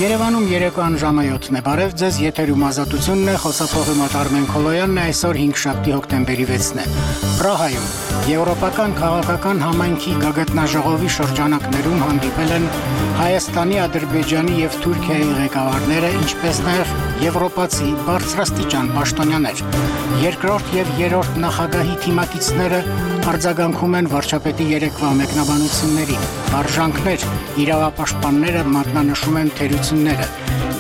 Երևանում երեկոյան ժամը 7-ն է, բարև ձեզ, եթերում ազատությունն է, խոսափողի մոտ Արմեն Քոլոյանն է, այսօր 5 հոկտեմբերի 6-ն է։ Պրահայում Եվրոպական քաղաքական համայնքի գագաթնաժողովի շրջանակներում հանդիպել են Հայաստանի, Ադրբեջանի եւ Թուրքիայի ղեկավարները, ինչպես նաեւ եվրոպացի բարձրաստիճան պաշտոնյաներ։ Երկրորդ եւ երրորդ նախագահի թիմակիցները արձագանքում են վարչապետի երեկվա մեկնաբանություններին։ Արժանքներ, իրավապաշտպանները մատնանշում են թերությունները։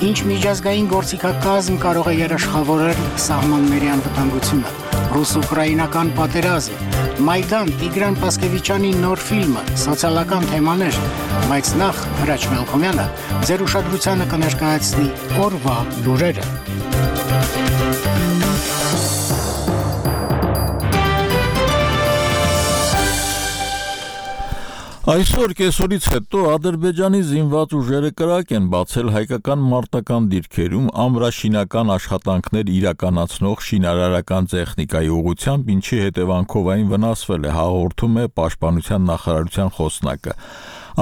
Ինչ միջազգային գործիքակազմ կարող է երաշխավորել սահմանների անվտանգությունը։ Ռուս-ուկրաինական պատերազմ, Մայդան, Տիգրան Պասկևիչյանի նոր ֆիլմը, սոցիալական թեմաներ, բայց նախ Հրաչ Մելքոմյանը ձեր ուշադրությանը կներկայացնի օրվա լուրերը։ Այսօր կեսօրից հետո Ադրբեջանի զինված ուժերը կրակ են բացել հայկական մարտական դիրքերում ամրաշինական աշխատանքներ իրականացնող շինարարական տեխնիկայի ուղղությամբ, ինչի հետևանքով այն վնասվել է, հաղորդում է Պաշտպանության նախարարության խոսնակը։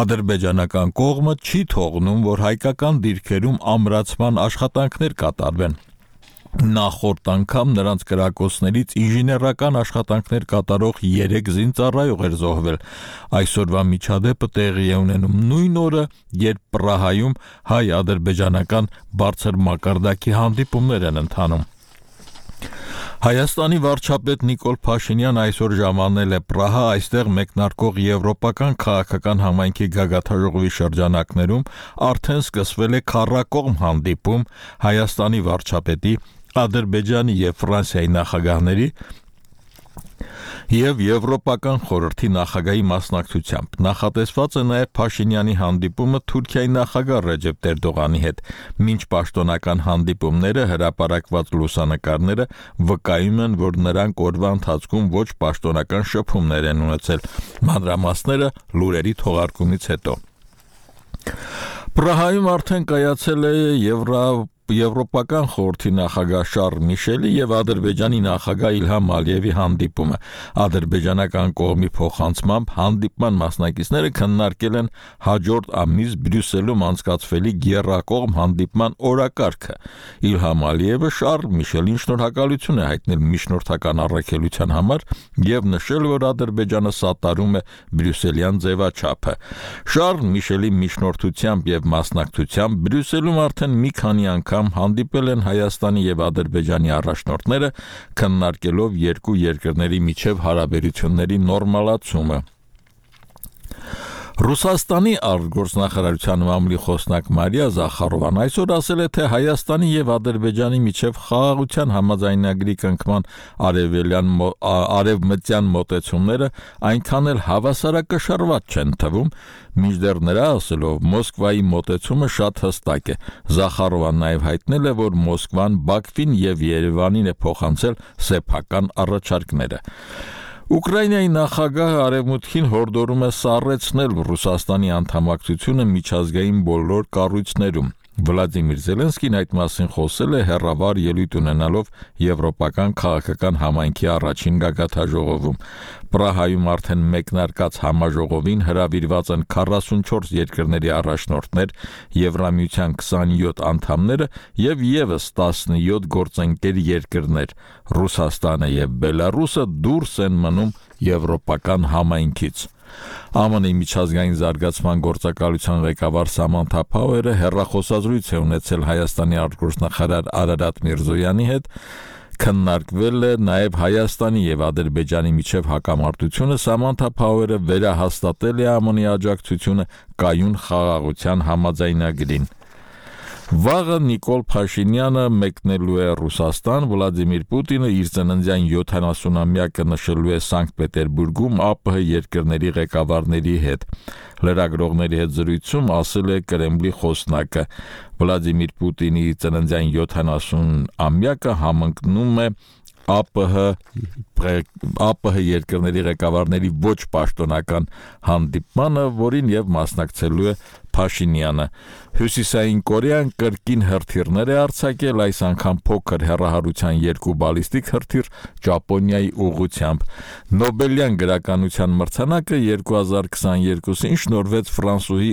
Ադրբեջանական կողմը չի թողնում, որ հայկական դիրքերում ամրացման աշխատանքներ կատարվեն։ Նախորդ անգամ նրանց կրակոցներից ինժեներական աշխատանքներ կատարող 3 զինծառայող էր զոհվել։ Այսօրվա միջադեպը տեղի է ունենում նույն օրը, երբ Պրահայում հայ-ադրբեջանական բարձր մակարդակի հանդիպումներ են ընթանում։ Հայաստանի վարչապետ Նիկոլ Փաշինյանը այսօր ժամանել է Պրահա, այստեղ մեկնարկող Եվրոպական քաղաքական համայնքի գագաթնաժողովի շրջանակներում արդեն սկսվել է քառակողմ հանդիպում Հայաստանի վարչապետի, Ադրբեջանի եւ Ֆրանսիայի նախագահների եւ Եվրոպական խորհրդի նախագահի մասնակցությամբ։ Նախատեսված է նաեւ Փաշինյանի հանդիպումը Թուրքիայի նախագահ Ռեջեփ Էրդողանի հետ։ Մինչ պաշտոնական հանդիպումները հրապարակված լուսանկարները վկայում են, որ նրանք օրվա ընթացքում ոչ պաշտոնական շփումներ են ունեցել։ Մանրամասները լուրերի թողարկումից հետո։ Պրահայում արդեն կայացել է Եվրոպական խորհրդի նախագահ Շարլ Միշելի եւ Ադրբեջանի նախագահ Իլհամ Ալիևի հանդիպումը։ Ադրբեջանական կողմի փոխանցմամբ հանդիպման մասնակիցները քննարկել են հաջորդ ամիս Բրյուսելում անցկացվելի գերակողմ հանդիպման օրակարգը։ Իլհամ Ալիևը Շարլ Միշելին շնորհակալություն է հայտնել միջնորդական առաքելության համար եւ նշել, որ Ադրբեջանը սատարում է բրյուսելյան ձևաչափը։ Շարլ Միշելի միջնորդությամբ եւ մասնակցությամբ Բրյուսելում արդեն մի քանի անգամ հանդիպել են Հայաստանի եւ Ադրբեջանի առաջնորդները, քննարկելով երկու երկրների միջև հարաբերությունների նորմալացումը։ Ռուսաստանի արտգործնախարարության մամլի խոսնակ Մարիա Զախարովան այսօր ասել է, թե Հայաստանի եւ Ադրբեջանի միջև խաղաղության համաձայնագրի կնքման արևմտյան մոտեցումները այնքան էլ հավասարակշռված չեն թվում, մինչդեռ նրա ասելով Մոսկվայի մոտեցումը շատ հստակ է։ Զախարովան նաեւ հայտնել է, որ Մոսկվան Բաքվին եւ Երևանին է փոխանցել սեփական առաջարկները։ Ուկրաինայի նախագահը արևմուտքին հորդորում է սառեցնել Ռուսաստանի անդամակցությունը միջազգային բոլոր կառույցներում։ Վլադիմիր Զելենսկին այդ մասին խոսել է հեռավար ելույթ ունենալով Եվրոպական քաղաքական համայնքի առաջին գագաթնաժողովում։ Պրահայում արդեն մեկնարկած համաժողովին հրավիրված են 44 երկրների առաջնորդներ, Եվրամիության 27 անդամները եւ եւս 17 գործընկեր երկրներ։ Ռուսաստանը եւ Բելարուսը դուրս են մնում Եվրոպական համայնքից։ ԱՄՆ-ի միջազգային զարգացման գործակալության ղեկավար Սամանթա Փաուերը հեռախոսազրույց է ունեցել Հայաստանի արտգործնախարար Արարատ Միրզոյանի հետ, քննարկվել է նաև Հայաստանի եւ Ադրբեջանի միջև հակամարտությունը։ Սամանթա Փաուերը վերահաստատել է ԱՄՆ-ի աջակցությունը կայուն խաղաղության համաձայնագրին։ Վաղը Նիկոլ Փաշինյանը մեկնելու է Ռուսաստան, Վլադիմիր Պուտինը իր ծննդյան 70-ամյակը նշելու է Սանկտ Պետերբուրգում ԱՊՀ երկրների ղեկավարների հետ։ Լրագրողների հետ զրույցում ասել է Կրեմլի խոսնակը։ Վլադիմիր Պուտինի ծննդյան 70-ամյակը համընկնում է ԱՊՀ երկրների ղեկավարների ոչ պաշտոնական հանդիպմանը, որին եւ մասնակցելու է Փաշինյանը։ Հյուսիսային Կորեան կրկին հրթիռներ է արձակել, այս անգամ փոքր հեռահարության 2 բալիստիկ հրթիռ Ճապոնիայի ուղղությամբ։ Նոբելյան գրականության մրցանակը 2022-ին շնորհվեց ֆրանսուհի